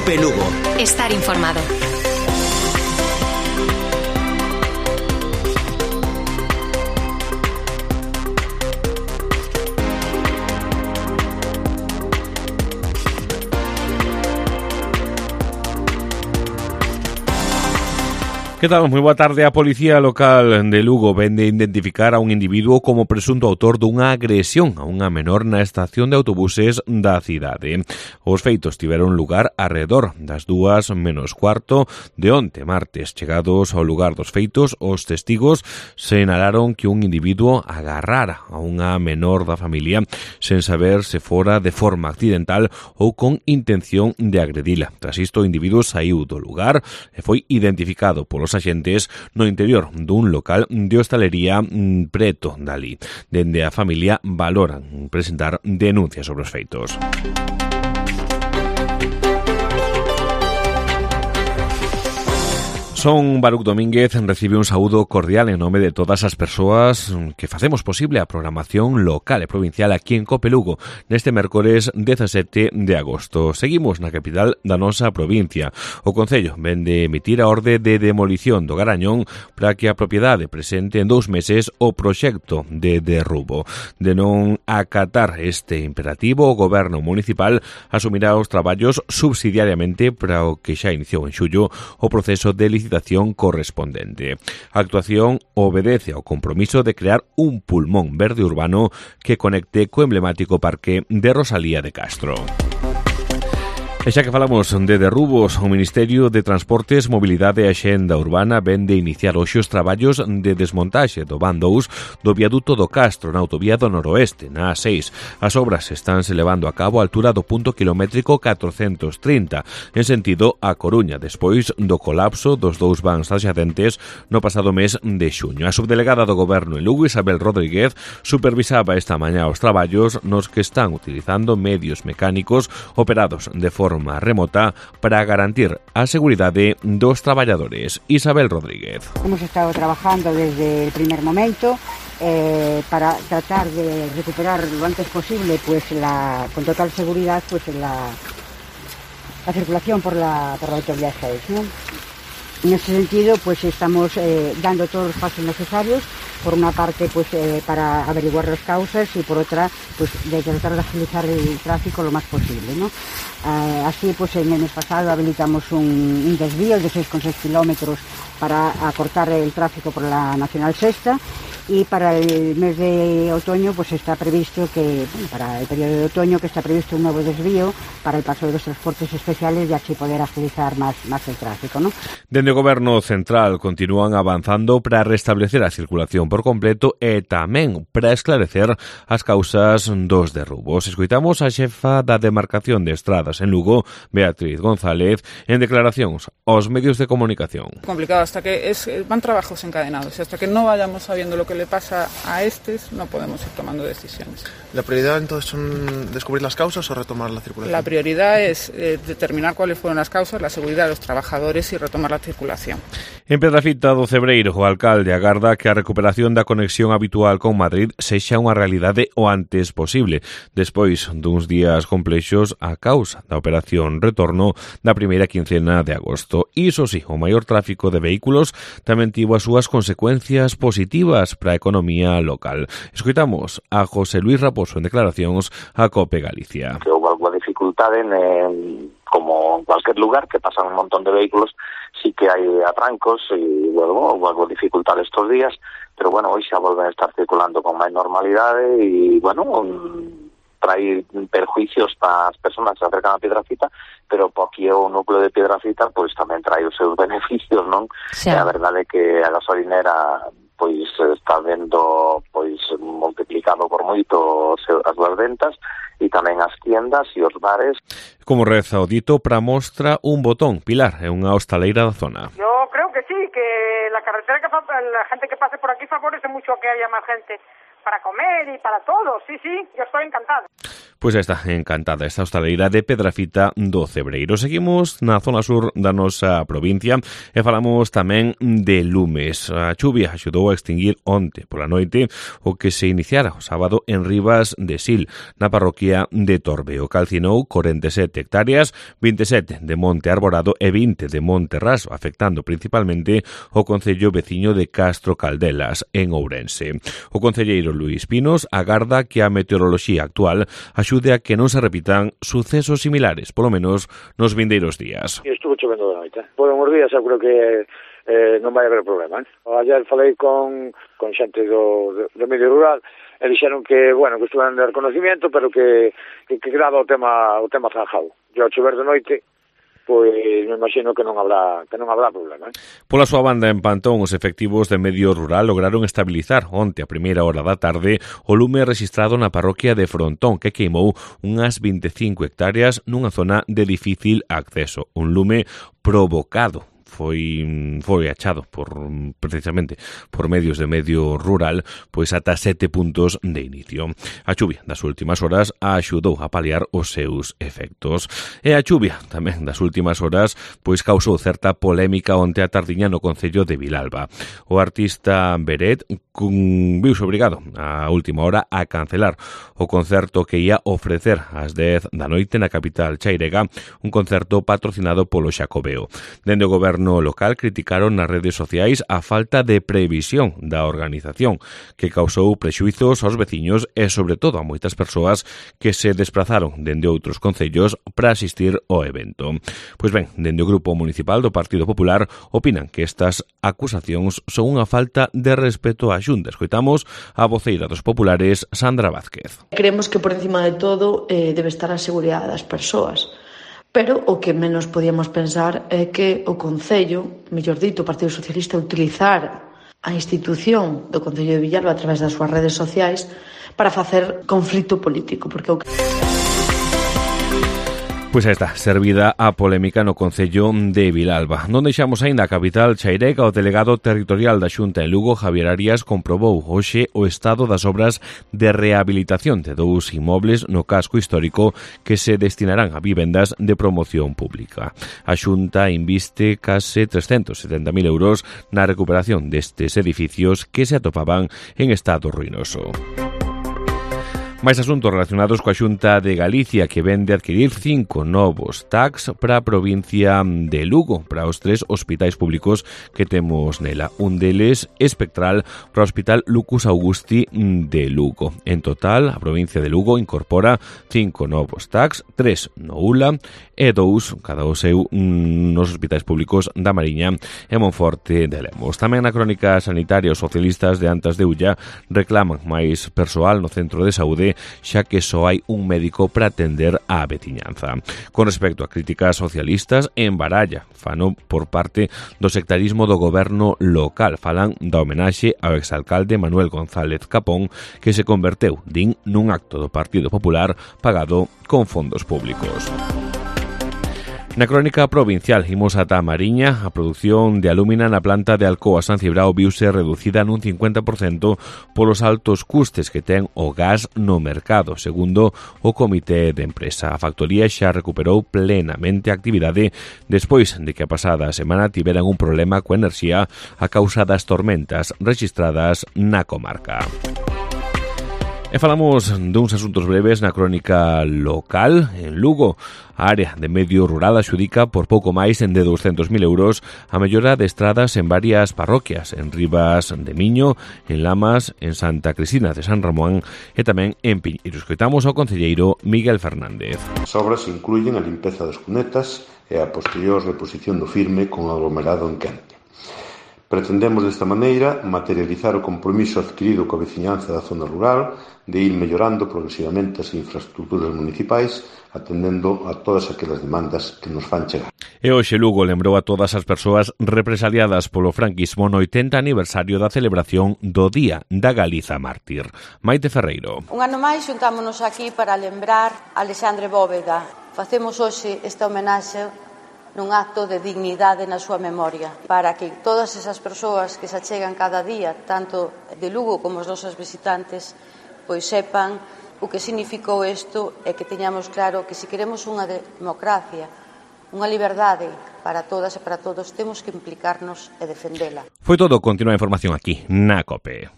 COPE Lugo. Estar informado. Que tal? Moi boa tarde. A Policía Local de Lugo vén de identificar a un individuo como presunto autor dunha agresión a unha menor na estación de autobuses da cidade. Os feitos tiveron lugar arredor das 2:15 de onte, martes. Chegados ao lugar dos feitos, os testigos sinalaron que un individuo agarrara a unha menor da familia sen saber se fora de forma accidental ou con intención de agredila. Tras isto, o individuo saiu do lugar e foi identificado polos axentes no interior dun local de hostalería preto dali. Dende a familia valoran presentar denuncias sobre os feitos. Son Baruc Domínguez recibe un saúdo cordial en nome de todas as persoas que facemos posible a programación local e provincial aquí en COPE Lugo neste mércores 17 de agosto. Seguimos na capital da nosa provincia. O Concello ven de emitir a orde de demolición do Garañón para que a propiedade presente en 2 meses o proxecto de derrubo. De non acatar este imperativo, o Goberno municipal asumirá os traballos subsidiariamente para o que xa iniciou en xullo o proceso de licitación correspondente. A actuación obedece ao compromiso de crear un pulmón verde urbano que conecte co emblemático parque de Rosalía de Castro. E xa que falamos de derrubos, o Ministerio de Transportes, Mobilidade e Axenda Urbana ven de iniciar hoxe os traballos de desmontaxe do van 2 do viaduto do Castro na autovía do Noroeste, na A6. As obras estánse levando a cabo á altura do punto kilométrico 430, en sentido a Coruña, despois do colapso dos 2 vans adxacentes no pasado mes de xuño. A subdelegada do Goberno en Lugo, Isabel Rodríguez, supervisaba esta mañá os traballos nos que están utilizando medios mecánicos operados de forma remota para garantir a seguridade dos traballadores. Isabel Rodríguez. Hemos estado trabajando desde el primer momento para tratar de recuperar lo antes posible con total seguridad la circulación por la autovía 6, ¿no? En ese sentido, pues estamos dando todos los pasos necesarios, por una parte para averiguar las causas y por otra pues de tratar de agilizar el tráfico lo más posible, ¿no? Así pues en el mes pasado habilitamos un desvío de 6,6 kilómetros para acortar el tráfico por la Nacional Sexta, y para el mes de otoño pues está previsto para el periodo de otoño está previsto un nuevo desvío para el paso de los transportes especiales y así poder agilizar más el tráfico, ¿no? Dende o Goberno Central continúan avanzando para restablecer a circulación por completo e tamén para esclarecer as causas dos derrubos. Escoitamos a xefa da demarcación de estradas en Lugo, Beatriz González, en declaracións aos medios de comunicación. Complicado, hasta que van trabajos encadenados, hasta que no vayamos sabiendo lo que le pasa a estos, no podemos ir tomando decisiones. ¿La prioridad entonces son descubrir las causas o retomar la circulación? La prioridad es determinar cuáles fueron las causas, la seguridad de los trabajadores y retomar la circulación. En Pedrafita do Cebreiro, o alcalde agarda que a recuperación da conexión habitual con Madrid sexa unha realidade o antes posible, despois duns días complexos a causa da operación retorno da primeira quincena de agosto. Iso sí, o maior tráfico de vehículos tamén tivo as súas consecuencias positivas para a economía local. Escoitamos a José Luis Raposo en declaracións a COPE Galicia. Que houve alguna dificultade como en cualquier lugar que pasan un montón de vehículos, sí que hai atrancos e houve algo de dificultade estos días, pero bueno, hoxe xa volven a estar circulando con máis normalidade e trae perjuicios para as persoas que se acercan a Piedrafita, pero po aquí o núcleo de Piedrafita pois tamén trae os seus beneficios, non? Sí. A verdade é que a gasolinera pois está vendo pois multiplicado por moito as súas ventas e tamén as tiendas e os bares. Como reza o dito, para mostra un botón. Pilar, é unha hostaleira da zona. Yo creo que sí, que la carretera la gente que pase por aquí favorece mucho que haya más gente para comer y para todo, sí, yo estoy encantada. Pois está encantada esta hostaleira de Pedrafita do Cebreiro. Seguimos na zona sur da nosa provincia e falamos tamén de lumes. A chuvia axudou a extinguir onte pola noite o que se iniciara o sábado en Rivas de Sil, na parroquia de Torbeo. Calcinou 47 hectáreas, 27 de monte arborado e 20 de monte raso, afectando principalmente o concello veciño de Castro Caldelas, en Ourense. O concelleiro Luís Pinos agarda que a meteoroloxía actual axude a que non se repitan sucesos similares, polo menos nos vindeiros días. Estuvo chovendo de noite. Por uns días eu creo que non vai haber problema. Ayer falei con xente do medio rural e dixeron que, bueno, que estuvan de reconocimiento, pero que quedaba o tema zanjado. E ao chover de noite, pois me imagino que non habrá problema. Pola súa banda, en Pantón, os efectivos de medio rural lograron estabilizar onte a primeira hora da tarde o lume registrado na parroquia de Frontón, que queimou unhas 25 hectáreas nunha zona de difícil acceso. Un lume provocado foi achado precisamente por medios de medio rural, pois ata 7 puntos de inicio. A chuvia das últimas horas axudou a paliar os seus efectos. E a chuvia tamén das últimas horas pois causou certa polémica onte a tardiña no concello de Vilalba. O artista Beret viuse obrigado a última hora a cancelar o concerto que ia ofrecer ás 10 da noite na capital chairega, un concerto patrocinado polo Xacobeo. Dende o goberno local criticaron nas redes sociais a falta de previsión da organización, que causou prexuizos aos veciños e, sobre todo, a moitas persoas que se desplazaron dende outros concellos para asistir ao evento. Pois ben, dende o Grupo Municipal do Partido Popular opinan que estas acusacións son unha falta de respeto á Xunta. Escoitamos a voceira dos populares, Sandra Vázquez. Creemos que por encima de todo debe estar a seguridade das persoas. Pero o que menos podíamos pensar é que o Concello, mellor dito, o Partido Socialista, utilizar a institución do Concello de Villalba a través das súas redes sociais para facer conflito político, porque o que... Pois aí está, servida a polémica no concello de Vilalba. Non deixamos aínda a capital chairega. O delegado territorial da Xunta en Lugo, Javier Arias, comprobou hoxe o estado das obras de rehabilitación de 2 inmobles no casco histórico que se destinarán a vivendas de promoción pública. A Xunta inviste case 370.000 euros na recuperación destes edificios que se atopaban en estado ruinoso. Máis asuntos relacionados coa Xunta de Galicia, que vende adquirir 5 novos tags para a provincia de Lugo, para os 3 hospitais públicos que temos nela. Un deles espectral para o Hospital Lucus Augusti de Lugo. En total, a provincia de Lugo incorpora 5 novos tags, 3 no ULA e 2, cada o seu, nos hospitais públicos da Mariña e Monforte de Lemos. Tamén na crónica sanitaria, os socialistas de Antas de Ulla reclaman máis persoal no centro de saúde, xa que só hai un médico para atender á veciñanza. Con respecto a críticas socialistas, en Baralla fano por parte do sectarismo do goberno local. Falan da homenaxe ao exalcalde Manuel González Capón, que se converteu, din, nun acto do Partido Popular pagado con fondos públicos. Na crónica provincial, imos ata a Mariña. A produción de alúmina na planta de Alcoa San Cibrao viuse reducida nun 50% polos altos custes que ten o gas no mercado, segundo o comité de empresa. A factoría xa recuperou plenamente a actividade despois de que a pasada semana tiveran un problema coa enerxía a causa das tormentas rexistradas na comarca. E falamos duns asuntos breves na crónica local. En Lugo, a área de medio rural adxudica por pouco máis de 200.000 euros a mellora de estradas en varias parroquias, en Rivas de Miño, en Lamas, en Santa Cristina de San Ramón e tamén en Piñeiro. Escoitamos ao concelleiro Miguel Fernández. As obras incluyen a limpeza das cunetas e a posterior reposición do firme con aglomerado en quente. Pretendemos desta maneira materializar o compromiso adquirido coa veciñanza da zona rural de ir mellorando progresivamente as infraestructuras municipais, atendendo a todas aquelas demandas que nos fan chegar. E hoxe Lugo lembrou a todas as persoas represaliadas polo franquismo no 80 aniversario da celebración do Día da Galiza Mártir. Maite Ferreiro. Un ano máis xuntámonos aquí para lembrar a Alexandre Bóveda. Facemos hoxe esta homenaxe nun acto de dignidade na súa memoria, para que todas esas persoas que se achegan cada día, tanto de Lugo como os nosos visitantes, pois sepan O que significou isto é que teñamos claro que se queremos unha democracia, unha liberdade para todas e para todos, temos que implicarnos e defendela. Foi todo, continúa a información aquí, na COPE.